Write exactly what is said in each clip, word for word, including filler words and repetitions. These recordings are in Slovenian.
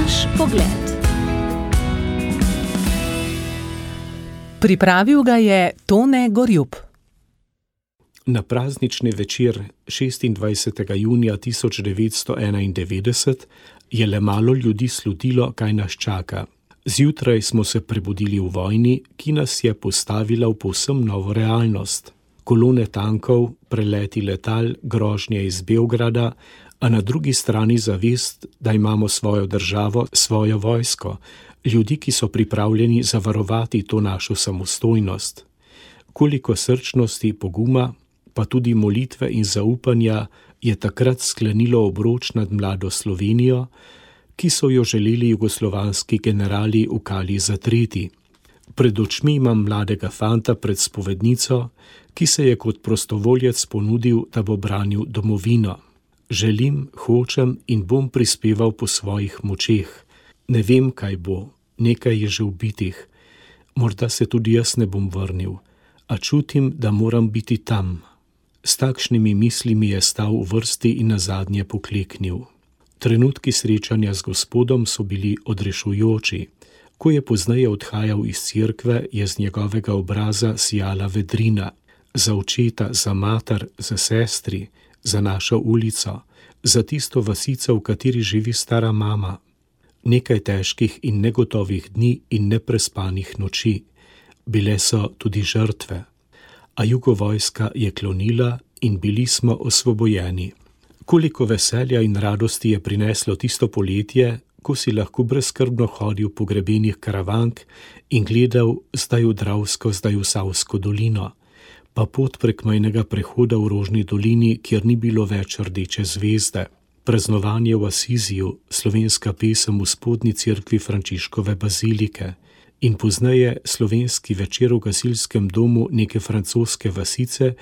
Naš pogled. Pripravil ga je Tone Gorjup. Na praznični večer šestindvajsetega junija tisoč devetsto enaindevetdeset je le malo ljudi slutilo, kaj nas čaka. Zjutraj smo se prebudili v vojni, ki nas je postavila v povsem novo realnost. Kolone tankov, preleti letal, grožnje iz Beograda, a na drugi strani zavest, da imamo svojo državo, svojo vojsko, ljudi, ki so pripravljeni zavarovati to našo samostojnost. Koliko srčnosti, poguma, pa tudi molitve in zaupanja je takrat sklenilo obroč nad mlado Slovenijo, ki so jo želeli jugoslovanski generali v kali zatreti. Pred očmi imam mladega fanta pred spovednico, ki se je kot prostovoljec ponudil, da bo branil domovino. Želim, hočem in bom prispeval po svojih močeh. Ne vem, kaj bo, nekaj je že ubitih. Morda se tudi jaz ne bom vrnil, a čutim, da moram biti tam. S takšnimi mislimi je stal v vrsti in nazadnje pokleknil. Trenutki srečanja z Gospodom so bili odrešujoči. Ko je pozneje odhajal iz cerkve, je z njegovega obraza sijala vedrina. Za očeta, za mater, za sestri, za našo ulico, za tisto vasico, v kateri živi stara mama. Nekaj težkih in negotovih dni in neprespanih noči. Bile so tudi žrtve. A jugovojska je klonila in bili smo osvobojeni. Koliko veselja in radosti je prineslo tisto poletje, ko si lahko brezskrbno hodil po grebenih Karavank in gledal zdaj v Dravsko, zdaj v Savsko dolino, pa pot prek mejnega prehoda v Rožni dolini, kjer ni bilo več rdeče zvezde, praznovanje v Asiziju, slovenska pesem v spodnji cerkvi Frančiškove bazilike in pozneje slovenski večer v gasilskem domu neke francoske vasice,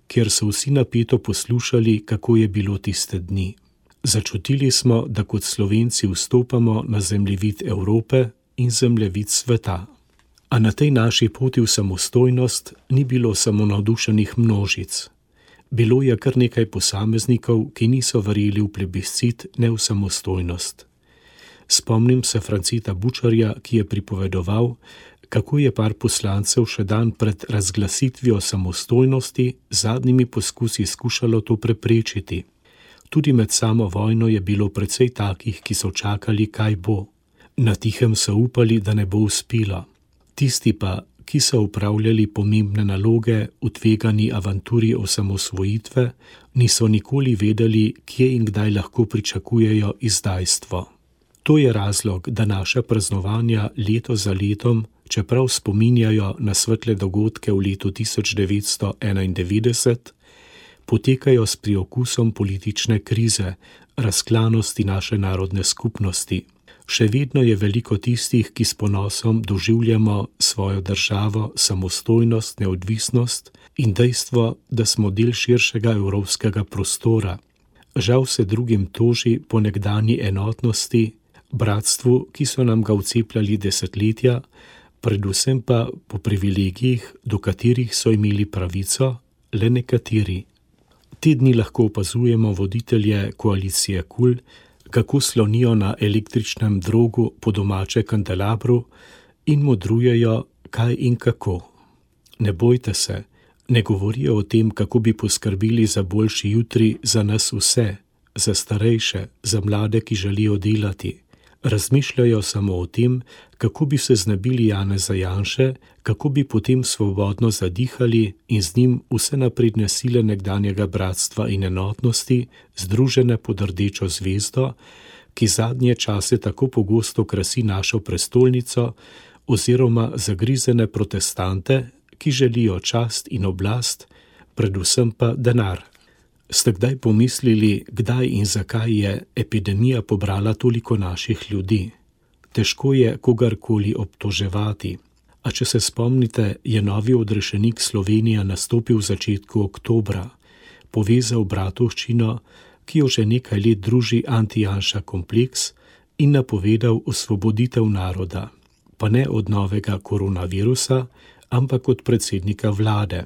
kjer so vsi napeto poslušali, kako je bilo tiste dni. Začutili smo, da kot Slovenci vstopamo na zemljevid Evrope in zemljevid sveta. A na tej naši poti v samostojnost ni bilo samo navdušenih množic. Bilo je kar nekaj posameznikov, ki niso verjeli v plebiscit, ne v samostojnost. Spomnim se Franceta Bučarja, ki je pripovedoval, kako je par poslancev še dan pred razglasitvijo samostojnosti z zadnjimi poskusi skušalo to preprečiti. Tudi med samo vojno je bilo precej takih, ki so čakali, kaj bo. Na tihem so upali, da ne bo uspelo. Tisti pa, ki so upravljali pomembne naloge v tvegani avanturi osamosvojitve, niso nikoli vedeli, kje in kdaj lahko pričakujejo izdajstvo. To je razlog, da naša praznovanja leto za letom, čeprav spominjajo na svetle dogodke v letu tisoč devetsto enaindevetdeset, potekajo s priokusom politične krize, razklanosti naše narodne skupnosti. Še vedno je veliko tistih, ki s ponosom doživljamo svojo državo, samostojnost, neodvisnost in dejstvo, da smo del širšega evropskega prostora. Žal se drugim toži po nekdanji enotnosti, bratstvu, ki so nam ga vcepljali desetletja, predvsem pa po privilegijih, do katerih so imeli pravico le nekateri. Te dni lahko opazujemo voditelje koalicije KUL, kako slonijo na električnem drogu po domače kandelabru in modrujejo, kaj in kako. Ne bojte se, ne govorijo o tem, kako bi poskrbeli za boljši jutri za nas vse, za starejše, za mlade, ki želijo delati. Razmišljajo samo o tem, kako bi se znebili Janeza Janše, kako bi potem svobodno zadihali in z njim vse napredne sile nekdanjega bratstva in enotnosti, združene pod rdečo zvezdo, ki zadnje čase tako pogosto krasi našo prestolnico, oziroma zagrizene protestante, ki želijo čast in oblast, predvsem pa denar. Ste kdaj pomislili, kdaj in zakaj je epidemija pobrala toliko naših ljudi? Težko je kogarkoli obtoževati, a če se spomnite, je novi odrešenik Slovenija nastopil v začetku oktobra, povezal bratovščino, ki jo že nekaj let druži anti-Janša kompleks in napovedal osvoboditev naroda, pa ne od novega koronavirusa, ampak od predsednika vlade.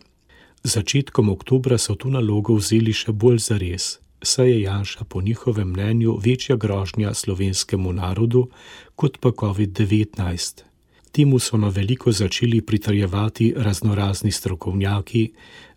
Začetkom oktobra so to nalogo vzeli še bolj zares. saj je Janša po njihovem mnenju večja grožnja slovenskemu narodu kot pa covid devetnajst. Temu so na veliko začeli pritrjevati raznorazni strokovnjaki,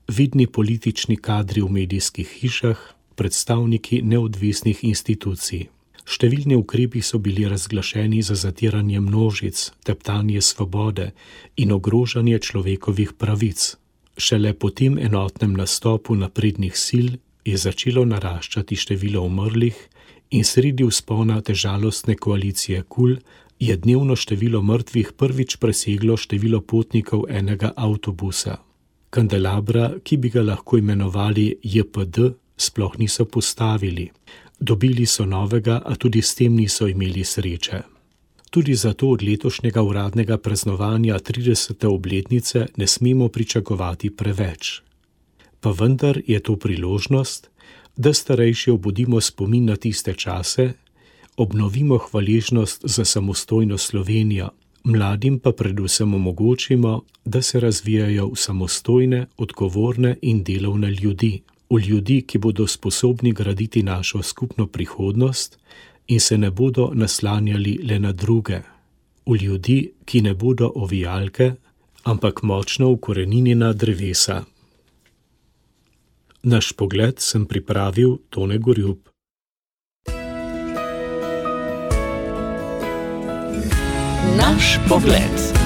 vidni politični kadri v medijskih hišah, predstavniki neodvisnih institucij. Številni ukrepi so bili razglašeni za zatiranje množic, teptanje svobode in ogrožanje človekovih pravic. Šele po tem enotnem nastopu naprednih sil je začelo naraščati število umrlih in sredi vzpona te žalostne koalicije KUL je dnevno število mrtvih prvič preseglo število potnikov enega avtobusa. Kandelabra, ki bi ga lahko imenovali J P D, sploh niso postavili. Dobili so novega, a tudi s tem niso imeli sreče. Tudi zato od letošnjega uradnega praznovanja tridesete obletnice ne smemo pričakovati preveč. Pa vendar je to priložnost, da starejši obudimo spomin na tiste čase, obnovimo hvaležnost za samostojno Slovenijo, mladim pa predvsem omogočimo, da se razvijajo v samostojne, odgovorne in delovne ljudi, v ljudi, ki bodo sposobni graditi našo skupno prihodnost in se ne bodo naslanjali le na druge, v ljudi, ki ne bodo ovijalke, ampak močno ukoreninjena drevesa. Naš pogled sem pripravil Tone Gorjup. Naš pogled.